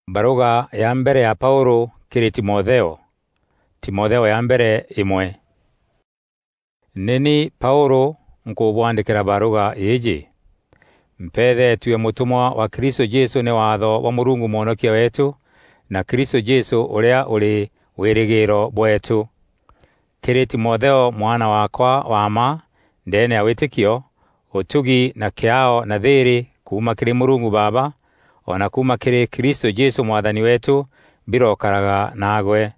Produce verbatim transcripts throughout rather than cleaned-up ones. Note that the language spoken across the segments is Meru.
Baruga ya mbere ya Paulu kiri Timotheo. Timotheo ya mbere imwe. Ni ni Paulu nkubwandikira baruga iiji. Mpeethetue mutumwa wa Kristo Jesu ni waatho bwa Murungu Mwonokia weetu, na Kristo Jesu uria uri wirigiro bweetu. Kiri Timotheo mwana wakwa wa mma ndeene ya witikio, utugi na kiaao na thiiri kuuma kiri Murungu Baaba, o na kuuma kiri Kristo Jesu Mwathani weetu birokaraga naagwe.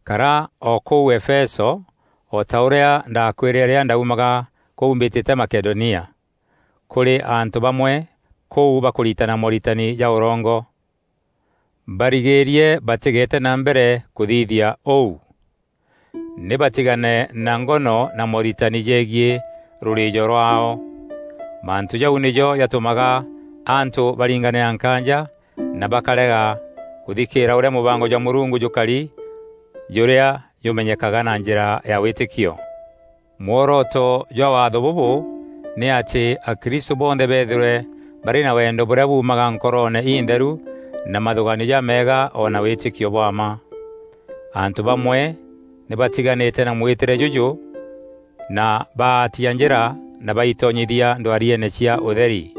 Kara o kuu Efeso, o ta uria ndakwirire riria ndaumaga kuu mbitite Makedonia, kuri antu bamwe kuu bakuritana moritani ja urongo. Barigiirie batigeete na mbere kuthithia uu. Ni batigane na ngono na moritani jegiî ruriijo rwaao. Mantu jau nijo jatumaga antu baringanira nkaanja na bakarega kuthikiira uria mubango jwa Murungu jukari, juria jumenyekaga na njira ya witikio. Mworoto jwa waatho bubu ni ati Akristu bonthe beethirwe bari na wendo buria buumaga nkoroone intheru na mathuganio jameega o na witikio bwa mma. Antu bamwe ni batiganite na mwitire juju na baatia njira na baitonyithia ndwarieene cia utheri.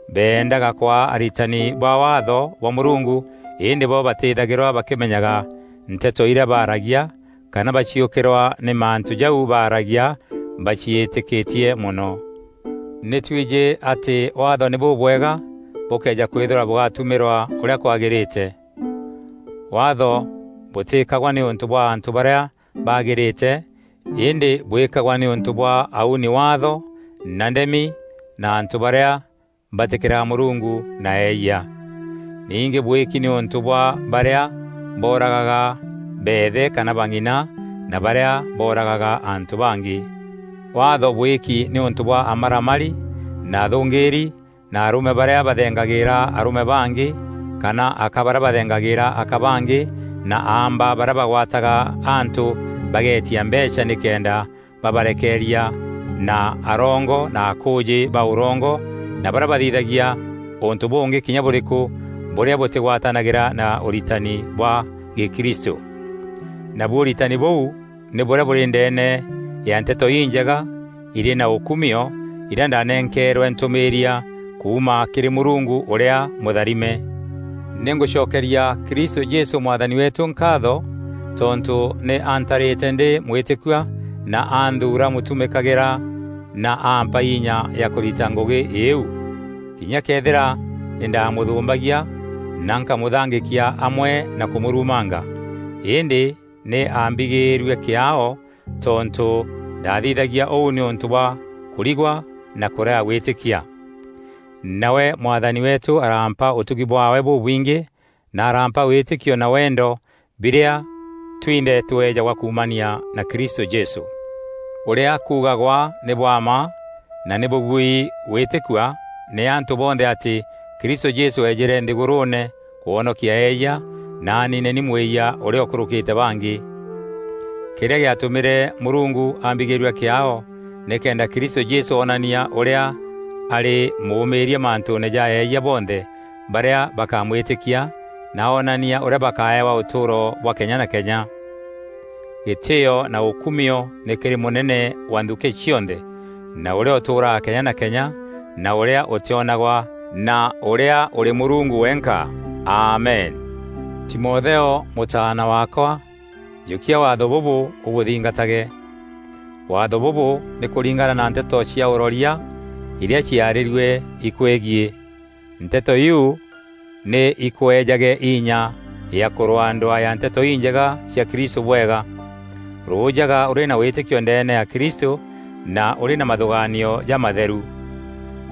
Beendaga kwaa aritani ba waatho bwa Murungu, indi bo batithagirwa bakimenyaga nteto iria baaragia kana baciukirwa ni mantu jau baaragia baciitikitie mono. Ni twiji ati waatho ni bubwega bukeeja kwithirwa bugatumirwa uria kwagirite. Waatho butikagwa niuntu bwa antu baria bagirite, indi bwikagwa niuntu bwa auni waatho na ndemi na antu baria batikiraga Murungu na eeyia. Ningi bwiki niuntu bwa baria booragaga beethe kana bang'ina na baria booragaga antu bangi. Waatho bwiki niuntu bwa amaramari na athungiiri na arume baria bathengagiira arume bangi, kana aka baria bathengagiira aka bangi, na aamba baria bagwataga antu bageetia mbeecha nikenda babarekeeria, na arongo na akuuji ba urongo, na baria bathithagia untu bungi kinya buriku buria butigwatanagira na uritani bwa Gikristu. Nabu uritani buu ni buria buri ndeene ya Nteto Injega iri na ukumio, iria ndanenkeerwe ntumiiria kuuma kiri Murungu uria mutharime. Ni ngucokeria Kristu Jesu Mwathani weetu nkaatho, tontu ni antarite ndi mwitikua, na anthuura mutumikagira, na ampa inya ya kurita ngugi iiu. Kinya kethira ni ndamuthumbagia, na nkamuthangikia amwe na kumurumanga, indi ni ambigiirue kiaao, tontu ndathithagia uu niuntu bwa kurigwa na kurega gwitikia. Nawe Mwathani weetu arampa utugi bwaawe bubwingi, na arampa witikio na wendo, biria twinthe tweejagwa kuumania na Kristu Jesu. Uria kuugagwa ni bwa mma na ni bugui gwitikua ni antu bonthe ati Kristu Jesu eejire nthiguruune kwonokia eeyia, na aniine ni mwiyia uria ukurukite bangi. Kiria giatumire Murungu ambigirua kiaao, nikenda Kristu Jesu oonania uria ari muumiiria mantuune ja eeyia bonthe baria bakamwitikia, na oonania uria bakaewa utuuro bwa kenya na kenya. Gitio na ukumio ni kiri Munene wa nthuki cionthe, na uria utuuraa kenya na kenya, na uria utionagwa, na uria uri Murungu wenka. Amen. Timotheo, mutaana wakwa, jukia waatho bubu ubuthingatage. Waatho bubu ni kuringana na nteto cia uroria iria ciarirue ikwegii. Nteto iu ni ikweejage inya ya kurwaa ndwaa ya Nteto Injega cia Kristu bwega. Ruujaga uri na witikio ndeene ya Kristu na uri na mathugaanio jamatheru.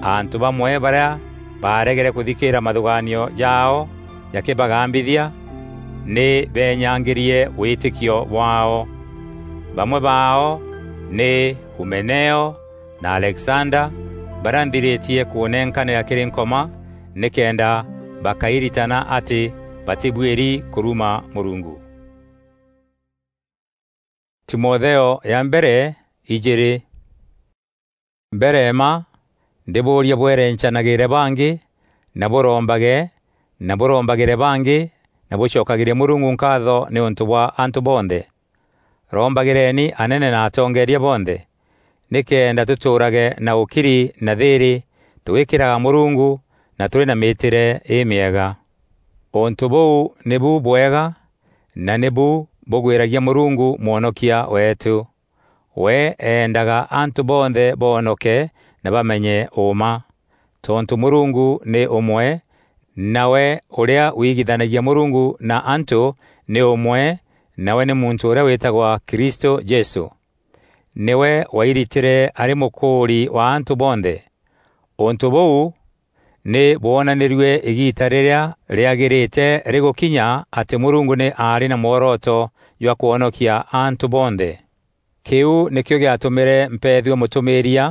Antu bamwe baria baaregere kuthikiira mathugaanio jaao jakibagambithia, ni beenyangirie witikio bwaao. Bamwe baao ni Humeneo na Alexander, baria nthiritie kunenkanira kiri Nkoma, nikenda bakairitana ati batibuiri kuruma Murungu. Timotheo ya mbere ijiri. Mbere mma, ndibuuria bwerencanagire bangi, na burombage, na bûrombagîre bangî, na bûcokagîrie Mûrungu nkaatho nîûntû bwa antû bonthe. Rombagîreni anene na atongeeria bonthe, nîkenda tûtûûrage na ûkiri na thîîrî, tûgîkîraga Mûrungu na tûrî na mîîtîre îmîega. Ûntû bûu nîbu bwega, na nîbu bûgwîragia Mûrungu Mwonokia weetû. We eendaga antû bonthe boonoke na bamenye ûûma. Tontû Mûrungu nî ûmwe, nawe ûrîa wigithanagia Mûrungu na antû nî ûmwe, nawe nî muntû ûrîa wîtagwa Kristû Jesû. Nîwe wairitîre arî mûkûûri wa antû bonthe. Ûntû bûu nî bwonanîrue îgiita rîrîa rîagîrîte rîgûkinya atî Mûrungu nî aarî na mworoto jwa kwonokia antû bonthe. Kîu nîkîo gîatûmîre mpeethua mûtûmîîria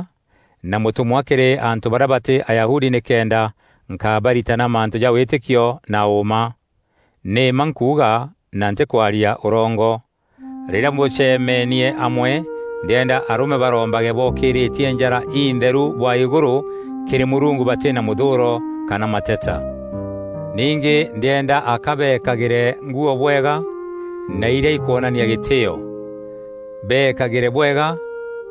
na mûtûmwa kîrî antû barîa batî Ayahudi nîkenda nkabaritana mantû ja wîtîkio na ûûma. Nî mma nkuuga na ntîkwaria ûrongo. Rîrîa bûcemeenie amwe, ndîenda arûme barombage bookîrîtie njara intheru bwa îgûrû kîrî Mûrungu batî na mûthûûro kana mateta. Ningî ndîenda aka beekagîre nguû bwega na irîa ikwonania gîtîîo. Beekagîre bwega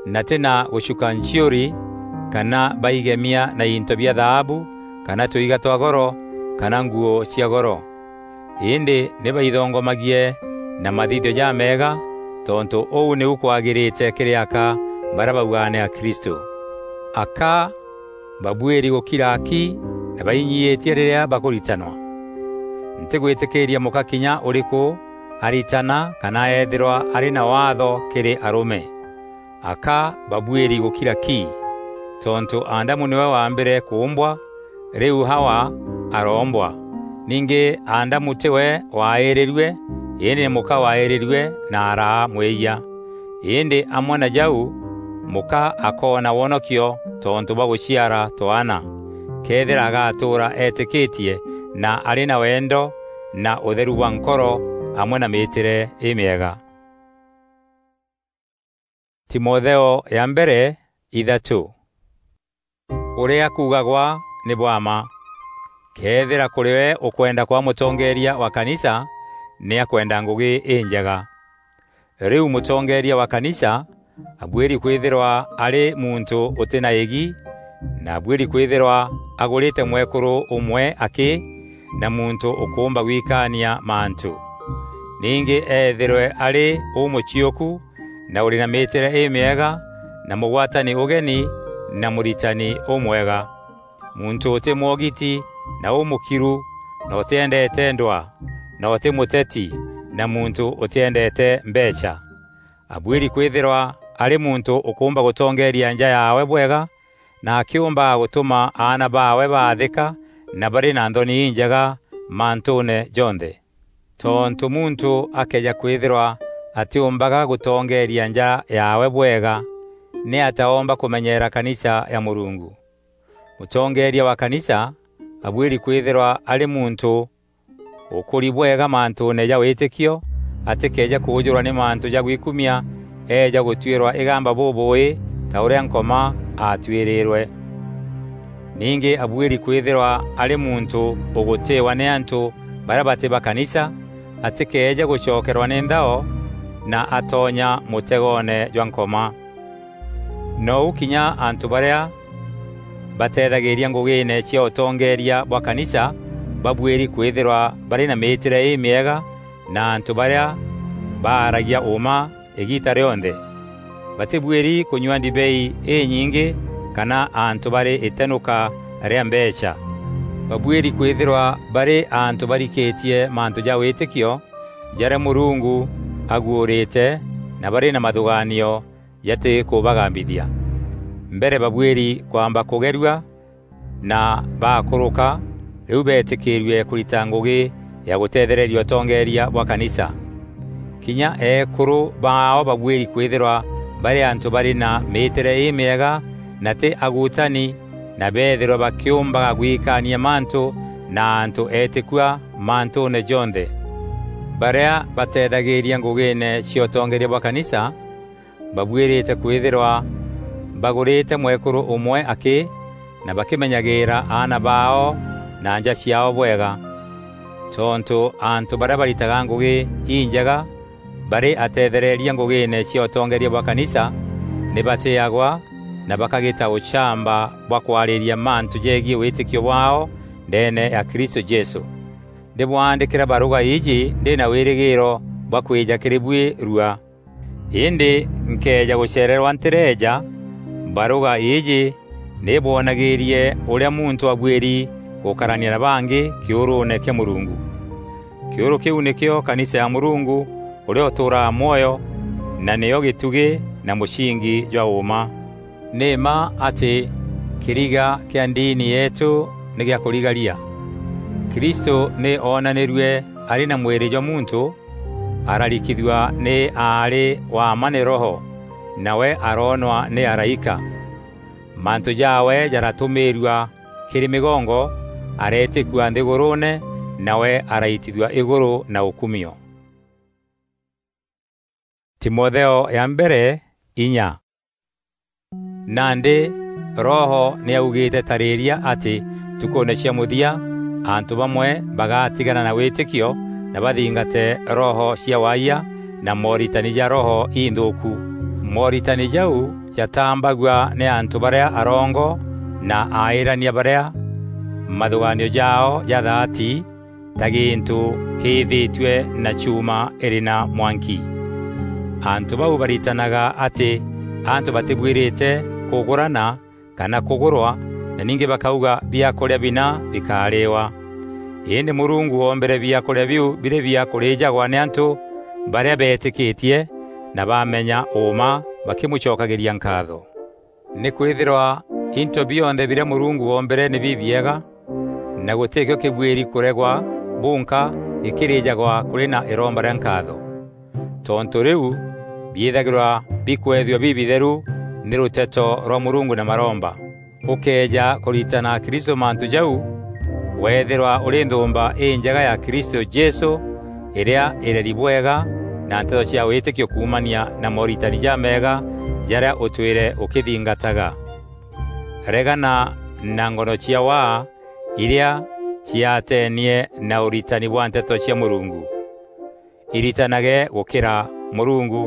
na tî na gûcuka nciûri kana baigemia na into bia thaabu kana tûiga twa goro kana nguû cia goro. Îndî nî baithongomagie na mathithio jameega, tontû ûu nîu kwagîrîte kîrî aka barîa baugaga nî Akristû. Aka babuîri gûkira aki na bainyiîtie rîrîa bakûritanwa. Ntîgwîtîkîîria mûka kinya ûrîkû aritana kana eethîrwa arî na waatho kîrî arûme. Aka babuîri gûkira ki, tontû Adamu nîwe waambîre kûûmbwa, rîu Hawa aroombwa. Ningî Adamu tîwe waaîrîrue, îndî nî mûka waaîrîrue na araa mwîyia. Îndî amwe na jau, mûka akoona wonokio tontû bwa gûciara twaana, këethîra agatûûra eetîkîtie na arî na wendo na ûtheru bwa nkoro amwe na mîîtîre îmîega. Timotheo ya mbere ithatû. Ûrîa kuugagwa nî bwa mma. Këethîra kûrî we ûkwenda kwaa mûtongeeria wa kanisa, nî akwenda ngûgî înjega. Rîu mûtongeeria wa kanisa abuîri kwîthîrwa arî muntû ûtî na îgi, na abuîri kwîthîrwa agûrîte mwekûrû ûmwe akî na muntû ûkûûmba gwikaania mantû. Ningî eethîrwe arî ûmûciûku na ûrî na mîîtîre îmîega, na mûgwatani ûgeni, na mûritani ûmwega, muntû ûtî mwogiti na ûmûkiru, na ûtîendeete ndwaa, na ûtî mûteti, na muntû ûtîendeete mbeecha. Abuîri kwîthîrwa arî muntû ûkûûmba gûtongeeria nja yaawe bwega, na akîûmbaga gûtûma aana baawe baathîka na barî na nthoni injega mantûûne jonthe. Tontû muntû akëeja kwîthîrwa atîûmbaga gûtongeeria nja yaawe bwega, nî ataomba kûmenyeera kanisa ya Mûrungu? Mûtongeeria wa kanisa abuîri kwîthîrwa arî muntû ûkûri bwega mantûûne ja wîtîkio, atîkeeje kûûjûrwa nî mantû ja gwikumia, eeja gûtuîrwa îgamba bûbûûî ta ûrîa Nkoma aatuîrîîrwe. Ningî abuîri kwîthîrwa arî muntû ûgûtîîwa nî antû barîa batî ba kanisa, atîkeeje gûcokerwa nî nthao na atonya mûtegoone jwa Nkoma. Nou kinya antû barîa bateethagîîria ngûgîîne cia ûtongeeria bwa kanisa babuîri kwîthîrwa barî na mîîtîre îmîega na antû barîa baaragia ûûma îgiita rîonthe. Batîbuîri kûnyua ndibei înyingî kana antû barî îtenûka rîa mbeecha. Babuîri kwîthîrwa barî antû barikîtie mantû ja wîtîkio jarîa Mûrungu aguûrîte na barî na mathûgaanio jatî kûbagambithia. Mbere babuîri kwamba kûgerua na bakûrûka, rîu beetîkîîrue kûrita ngûgî ya gûteethereria ûtongeeria bwa kanisa. Kinya eekûrû baao babuîri kwîthîrwa barî antû barî na mîîtîre îmîega na tî agutani, na beethîrwe bakîûmbaga gwikaania mantû na antû eetîkua mantûûne jonthe. Barîa bateethagîîria ngûgîîne cia ûtongeeria bwa kanisa, babuîrîte kwîthîrwa bagûrîte mwekûrû ûmwe akî na bakîmenyagîîra aana baao na nja ciaao bwega. Tontû antû barîa baritaga ngûgî injega barî ateethereria ngûgîîne cia ûtongeeria bwa kanisa, nî batîîagwa na bakagîta ûchamba bwa kwarîria mantû jegiî wîtîkio bwaao ndeene ya Kristû Jesû. Ndîbwaandîkîra barûga îîjî ndî na wîrîgîîro bwa kwîja kîrî buî rua. Îndî nkëeja gûceererwa ntîreeja, barûga îîjî nî bwonagîîrie ûrîa muntû abuîri gûkarania na bangî kîûrûûne kîa Mûrungu. Kîûrû kîu nîkîo kanisa ya Mûrungu ûrîa ûtûûraga mwoyo, na nîyo gîtugî na mûcingi jwa ûûma. Nî mma atî kîriga kîa ndini yeetû nî gîa kûrigaria. Kristû nî oonanîrue arî na mwîrî jwa muntû, ararikithua nî aarî wa mma nî Roho, nawe aroonwa nî araîka. Mantû jaawe jaratûmîîrua kîrî mîgongo, areetîkua nthîgûrûûne, nawe araitithua îgûrû na ûkumio. Timotheo ya mbere, inya. Nandî Roho nî augîîte tarîîria atî ntukûûne cia mûthia, antû bamwe bagatigana na wîtîkio na bathingate roho cia waayia na mooritani ja roho inthûûku. Mooritani jau jatambagua nî antû barîa arongo na aîrania barîa mathûgaanio jaao ja thaati ta gîntû kîîthîtue na chuuma îrî na mwanki. Antû bau baritanaga atî antû batîbuîrîte kûgûrana kana kûgûrwa, na ningî bakauga, "Biakûrîa bina bikarîîwa." Îndî Mûrungu oombîre biakûrîa biu birî bia kûrîîjagwa nî antû barîa beetîkîtie na bamenya ûûma bakîmûcokagîria nkaatho. Nîkwîthîrwa into bionthe birîa Mûrungu oombîre nî bibiega, na gûtîkîo kîbuîri kûregwa bunka gîkîrîîjagwa kûrî na îromba rîa nkaatho. Tontû rîu, biîthagîrwa bikwethua bibitheru nî rûteto rwa Mûrungu na maromba. Ûkëeja kûritana Kristû mantû jau, weethîrwa ûrî nthûûmba înjega ya Kristû Jesû, îrîa îreri bwega na nteto cia wîtîkio kuumania na mooritani jameega jarîa ûtwîre ûkîthingataga. Regana na ngono cia waa irîa ciateenie na ûritani bwa nteto cia Mûrungu. Iritanage gûkîra Mûrungu.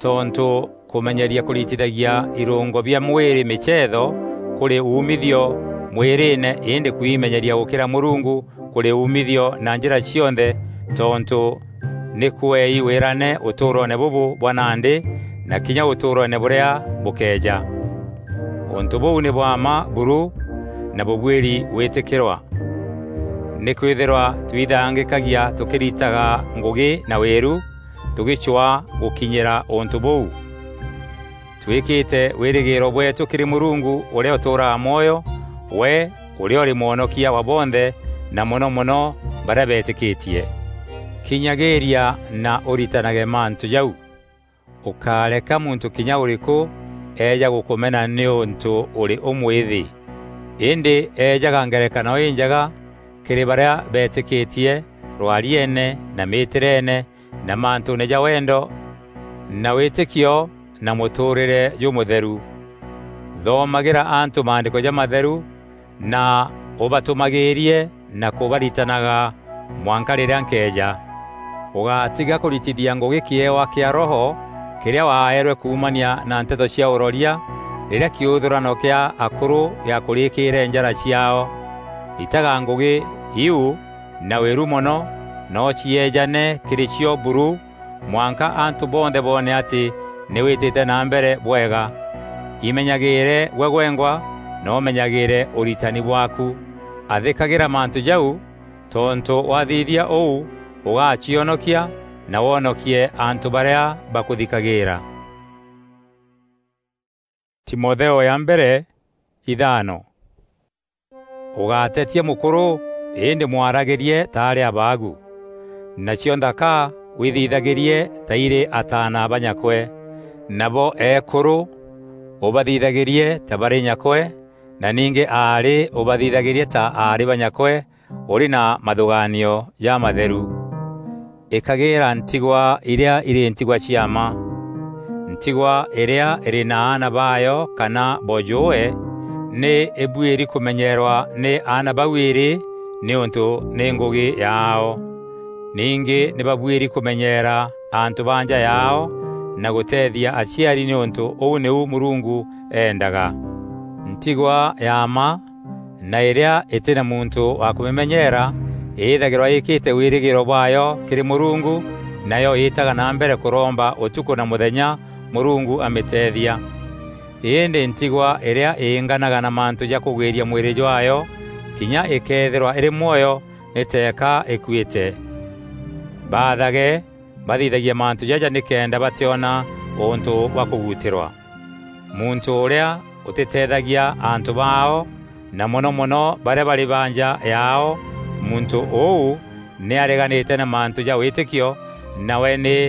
Tontû kûmenyeria kûritithagia irûngo bia mwîrî mîceetho kûrî uumithio mwîrîîne, îndî kwimenyeria gûkîra Mûrungu kûrî uumithio na njîra cionthe, tontû nî kûei wîrane ûtûûroone bûbû bwa nandî na kinya ûtûûroone bûrîa bûkeeja. Ûntû bûu nî bwa mma buru na bûbuîri gwîtîkîrwa. Nîkwîthîrwa twithangîkagia tûkîritaga ngûgî na wîru, tûgîcwaa gûkinyîra ûntû bûu. Twîkîte wîrîgîîro bweetû kîrî Mûrungu ûrîa ûtûûraga mwoyo, we ûrîa ûrî Mwonokia wa bonthe, na mono mono barîa beetîkîtie. Kinyagîîria na ûritanage mantû jau. Ûkáreka muntû kinya ûrîkû eeja gûkûmena nîûntû ûrî ûmwîthî. Îndî eejaga ngerekano înjega kîrî barîa beetîkîtie rwarieene na mîtîreene na mantûûne ja wendo na wîtîkio na mûtûûrîre jûmûtheru. Thomagîra antû maandîko jamatheru na ûbatûmagîîrie na kûbaritanaga mwanka rîrîa nkeeja. Ûgatiga kûritithia ngûgî kîewa kîa Roho kîrîa waaerwe kuumania na nteto cia ûroria rîrîa kîûthûrano kîa akûrû gîakûrîkîîre njara ciaao. Ritaga ngûgî iu na wîru mono, na ûcieejane kîrî cio buru, mwanka antû bonthe boone atî nî wîtîte na mbere bwega. Imenyagîîre gwe gwengwa, na ûmenyagîîre ûritani bwaaku. Athîkagîra mantû jau, tontû wathithia ûu, ûgacionokia na wonokie antû barîa bakûthikagîîra. Timotheo ya mbere, ithano. Ûgatetia mûkûrû, îndî mwaragîrie ta arî abaagu. Nacio nthaka withithagîrie ta irî ataana ba nyakwe. Nabo eekûrû ûbathithagîrie ta barî nyakwe, na ningî aarî ûbathithagîrie ta aarî ba nyakwe, ûrî na mathûgaanio jamatheru. Îkagîîra ntigwa irîa irî ntigwa cia mma. Ntigwa îrîa îrî na aana baayo kana bojûûe, nî îbuîri kûmenyeerwa nî aana bau îîrî nîûntû nî ngûgî yaao. Ningî nî babuîri kûmenyeera antû ba nja yaao na gûteethia aciari, nîûntû ûu nîu Mûrungu eendaga. Ntigwa ya mma na îrîa îtî na muntû wa kûmîmenyeera îîthagîrwa îîkîte wîrîgîîro bwaayo kîrî Mûrungu, nayo îîtaga na mbere kûromba ûtukû na mûthenya Mûrungu amîteethia. Îndî ntigwa îrîa îînganaga na mantû ja kûgwîria mwîrî jwaayo, kinya îkeethîrwa îrî mwoyo, nî teeka îkuîte. Baathage bathithagia mantû jaja nîkenda batîona ûntû bwa kûgutîrwa. Muntû ûrîa ûtîteethagia antû baao, na mono mono barîa barî ba nja yaao, muntû ûu nî areganîte na mantû ja wîtîkio, nawe nî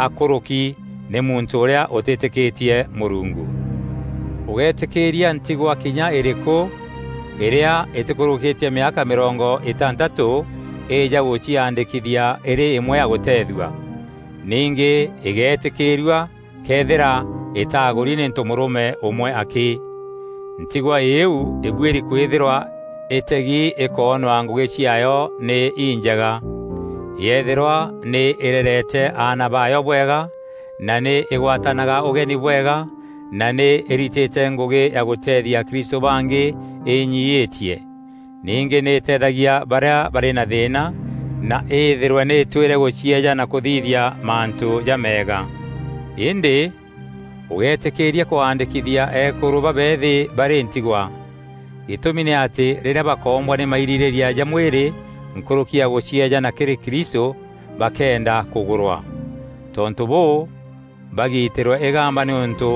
akûrûki nî muntû ûrîa ûtîtîkîtie Mûrungu. Ûgeetîkîîria ntigwa kinya îrîkû îrîa îtîkûrûkîtie mîaka mîrongo îtantatû îîja gûciandîkithia îrî îmwe ya gûteethua. Ningî îgeetîkîîrua këethîra îtagûri nî ntomûrûme ûmwe akî. Ntigwa îîu îbuîri kwîthîrwa îtegi îkoonwa ngûgî ciaayo nî injega. Yeethîrwa nî îrerete aana baayo bwega, na nî îgwatanaga ûgeni bwega, na nî îritîte ngûgî ya gûteethia Akristû bangî îinyiîtie. Ningî nî îteethagia barîa barî na thîîna, na îîthîrwe nî îtwîre gûcieeja na kûthithia mantû jameega. Îndî ûgeetîkîîria kwaandîkithia eekûrû babeethî barî ntigwa. Gîtûmi nî atî rîrîa bakoombwa nî mairîrîîria ja mwîrî nkûrûki ya gûcieejana kîrî Kristû, bakeenda kûgûrwa. Tontû bûû, bagiitîrwe îgamba nîûntû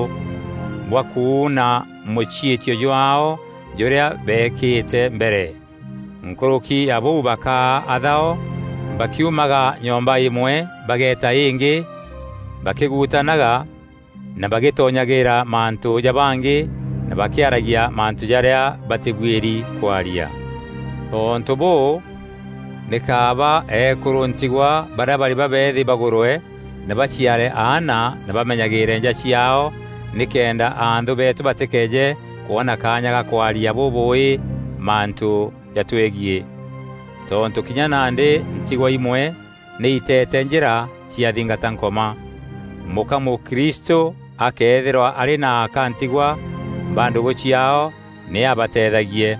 bwa kuuna mûciîtio jwaao jûrîa beekîte mbere. Nkûrûki ya bûu bakaa athao, bakiumaga nyomba îmwe bageeta îngî, bakîgutanaga na bagîtonyagîîra mantû ja bangî na bakîaragia mantû jarîa batîbuîri kwaria. Tontû bûû, nî kaaba eekûrû ntigwa barîa barî babeethî bagûrwe na baciare aana na bamenyagîîre nja ciaao, nîkenda anthû beetû batîkeeje kwona kaanya ga kwaria bûbûûî mantû jatwegiî. Tontû kinya nandî ntigwa imwe nî iteete njîra ciathingata Nkoma. Mûka mûkristû akeethîrwa arî na aka ntigwa ba ndûgû ciaao, nî abateethagie.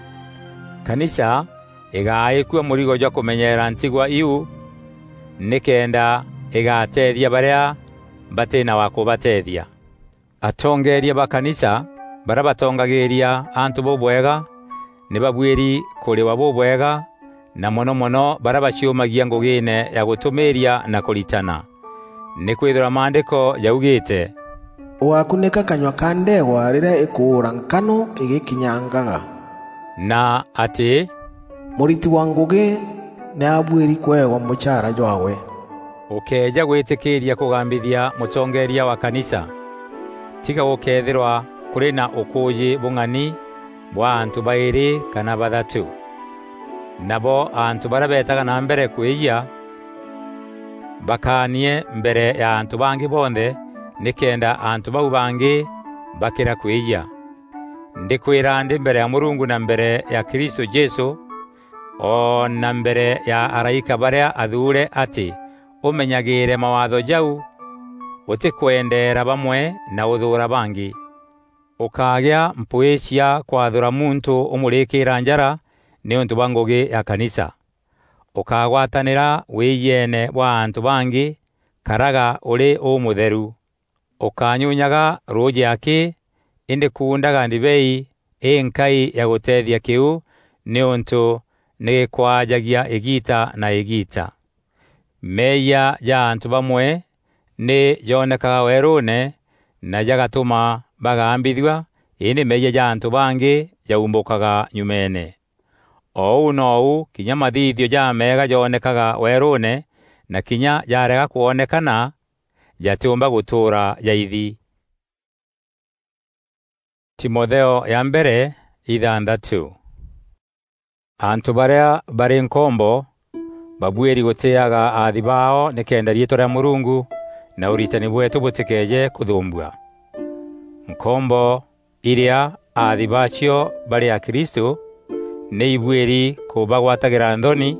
Kanisa îgaaîkua mûrigo jwa kûmenyeera ntigwa iu, nîkenda îgateethia barîa batî na wa kûbateethia. Atongeeria ba kanisa barîa batongagîîria antû bûbwega, nî babuîri kûrîwa bûbwega, na mono mono barîa baciûmagia ngûgîîne ya gûtûmîîria na kûritana. Nîkwîthîrwa Maandîko jaugîîte, "Ûgakunîka kanyua ka ndeegwa rîrîa îkûûra nkanû îgîkinyangaga." Na atî, "Mûriti wa ngûgî nî abuîri kweegwa mûchaara jwaawe." Ûkëeja gwîtîkîîria kûgambithia mûtongeeria wa kanisa, tiga gûkeethîrwa kûrî na ûkûûjî bûng'ani bwa antû baîrî kana bathatû. Nabo antû barîa beetaga na mbere kwîyia, bakaanie mbere ya antû bangî bonthe, nîkenda antû bau bangî bakîra kwîyia. Ndîkwîra ndî mbere ya Mûrungu na mbere ya Kristû Jesû, o na mbere ya araîka barîa athuure atî ûmenyagîîre mawaatho jau, ûtîkwendeera bamwe na ûthûûra bangî. Ûkagîa mpwîî cia kwathûra muntû ûmûrîkîîra njara nîûntû bwa ngûgî ya kanisa. Ûkagwatanîra wîîjeene bwa antû bangî, karaga ûrî ûmûtheru. Ûkanyunyaga rûûjî akî, îndî kuundaga ndibei înkai ya gûteethia kîu, nîûntû nî gîkwajagia îgiita na îgiita. Meeyia ja antû bamwe nî jonekaga weerûûne na jagatûma bagambithua, îndî meeyia ja antû bangî jaumbûkaga nyumeene. O ûu nou kinya mathithio jameega jonekaga weerûûne, na kinya jarega kwonekana, jatîûmba gûtûûra jaithi. Timotheo ya mbere, ithanthatû. Antû barîa barî nkombo babuîri gûtîîaga aathi baao nîkenda riîtwa rîa Mûrungu na ûritani bweetû bûtîkeeje kûthûûmbua. Nkombo irîa aathi baacio barî Akristû, Nî ibuîri kûbagwatagîra nthoni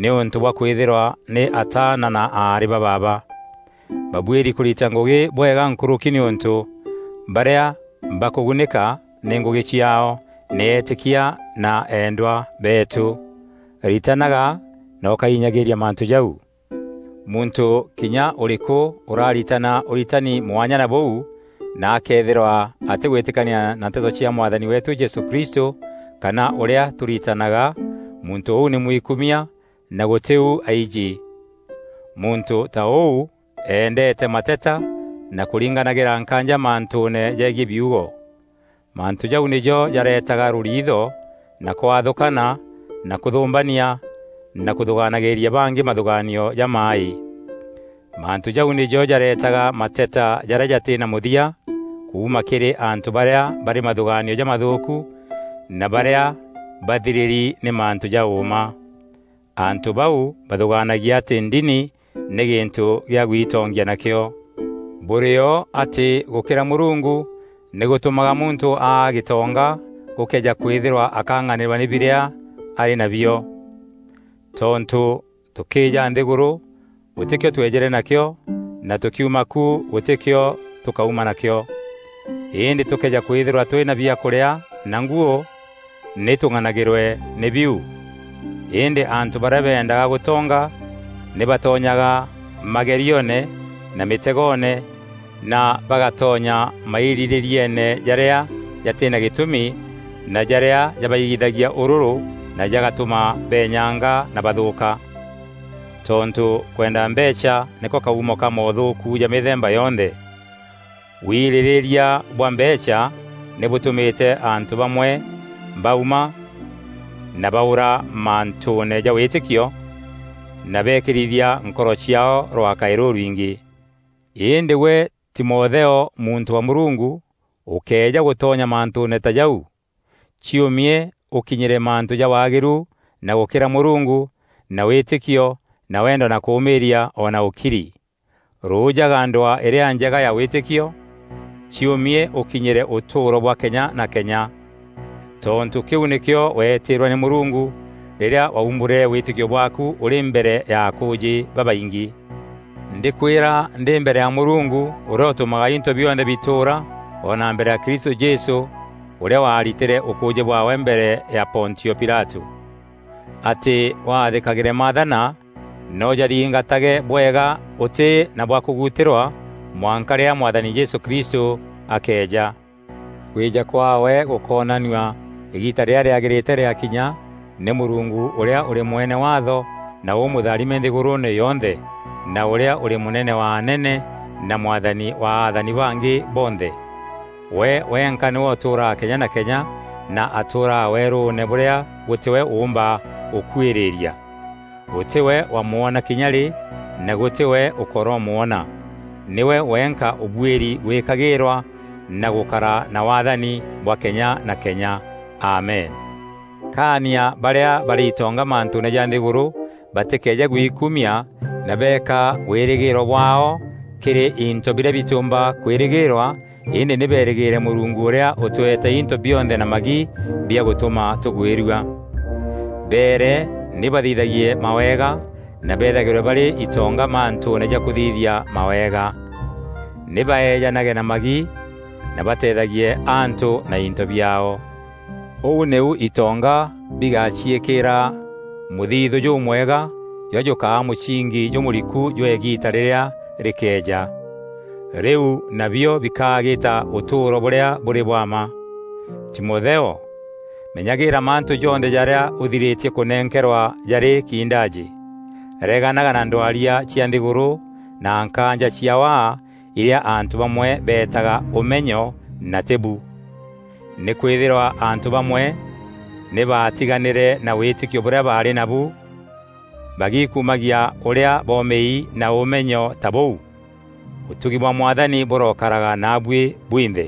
nîûntû bwa kwîthîrwa nî ataana na aarî ba baaba. Babuîri kûrita ngûgî bwega nkûrûki nîûntû barîa bakûgunîka nî ngûgî ciaao nî eetîkia na eendwa beetû. Ritanaga na ûkainyagîîria mantû jau. Muntû kinya ûrîkû ûraritana ûritani mwanya na bûu, na akeethîrwa atîgwîtîkania na nteto cia Mwathani weetû Jesû Kristû, kana ûrîa tûritanaga, muntû ûu nî mwikumia, na gûtî u aiji. Muntû ta ûu eendeete mateta na kûringanagîra nkaanja mantûûne jegiî biugo. Mantû jau nîjo jareetaga rûriitho na kwathûkana na kûthûmbania na kûthûgaanagîîria bangî mathûgaanio jamaaî. Mantû jau nîjo jareetaga mateta jarîa jatî na mûthia kuuma kîrî antû barîa barî mathûgaanio jamathûûku na barîa bathirîri nî mantû ja ûûma. Antû bau bathûgaanagia atî ndini nî gîntû gîa gwitongia nakîo. Bûrî o atî gûkîra Mûrungu nî gûtûmaga muntû aa gîtonga gûkëeja kwîthîrwa akang'anîrwa nî birîa arî nabio. Tontû tûkîîja nthîgûrû, gûtîkîo tweejîre nakîo, na tûkiuma ku, gûtîkîo tûkauma nakîo. Îndî tûkëeja kwîthîrwa twî na biakûrîa na nguû, nî tûng'anagîrwe nî biu. Îndî antû barîa beendaga gûtonga nî batonyaga magerioone na mîtegoone, na bagatonya mairîrîrieene jarîa jatî na gîtûmi na jarîa jabaigithagia ûrûrû na jagatûma beenyanga na bathûûka. Tontû kwenda mbeecha nîko kaumo ka moothûûku ja mîthemba yonthe. Wirîrîria bwa mbeecha nî bûtûmîte antû bamwe bauma na baûra mantûûne ja wîtîkio, na beekîrithia nkoro ciaao rwakaî rûrwingî. Îndî gwe Timotheo, muntû wa Mûrungu, ûkëeja gûtonya mantûûne ta jau, ciûmie ûkinyîre mantû ja waagîru na gûkîra Mûrungu, na wîtîkio, na wendo, na kûûmîîria, o na ûkiri. Rûûjaga ndwaa îrîa njega ya wîtîkio, ciûmie ûkinyîre ûtûûro bwa kenya na kenya. Tontû kîu nîkîo weetîîrwe nî Mûrungu rîrîa waumbûrîre wîtîkio bwaaku ûrî mbere ya akûûjî babaingî. Ndîkwîra ndî mbere ya Mûrungu, ûrîa ûtûmaga into bionthe bitûûra, o na mbere ya Kristû Jesû, ûrîa waaritîre ûkûûjî bwaawe mbere ya Pontio Pilatû, atî waathîkagîre maathana na ûjaringatage bwega ûtî na bwa kûgutîrwa, mwanka rîrîa Mwathani Jesû Kristû akeeja. Kwîja kwaawe gûkoonanua îgiita rîrîa rîagîrîte rîakinya, nî Mûrungu ûrîa ûrî mwene waatho na ûmûtharime nthîgûrûûne yonthe, na ûrîa ûrî mûnene wa anene na mwathani wa athani bangî bonthe. We wenka nîwe ûtûûraa kenya na kenya, na atûûraa weerûûne bûrîa gûtî we ûûmba gûkuîrîîria. Gûtî we wamwona kinya rî, na gûtî we ûkoromwona. Nîwe wenka ûbuîri gwîkagîîrwa na gûkara na wathani bwa kenya na kenya. Amen. Kaania barîa barî itonga mantûûne ja nthîgûrû batîkeeje gwikumia, na beeka wîrîgîîro bwaao kîrî into birîa bitîûmba kwîrîgîîrwa, îndî nî beerîgîîre Mûrungu ûrîa ûtweete into bionthe na magi bia gûtûma tûgwîrua. Beere nî bathithagie mawega na beethagîrwe barî itonga mantûûne ja kûthithia mawega. Nî baeejanage na magi na bateethagie antû na into biaao. Ûu nîu itonga bigaciîkîîra mûthithû jûmwega, jûrîa jûkaa mûcingi jûmûriku jwa îgiita rîrîa rîkeeja. Rîu nabio bikaa gîta ûtûûro bûrîa bûrî bwa mma. Timotheo, menyagîîra mantû jonthe jarîa ûthirîtie kûnenkerwa jarî kindaajî. Reganaga na ndwaria cia nthîgûrû na nkaanja cia waa, irîa antû bamwe beetaga ûmenyo na tî bu. Nîkwîthîrwa antû bamwe nî baatiganîre na wîtîkio bûrîa baarî nabu, bagikumagia ûrîa boomîi na ûmenyo ta bûu. Ûtugi bwa Mwathani bûrokaraga naabuî bwinthe.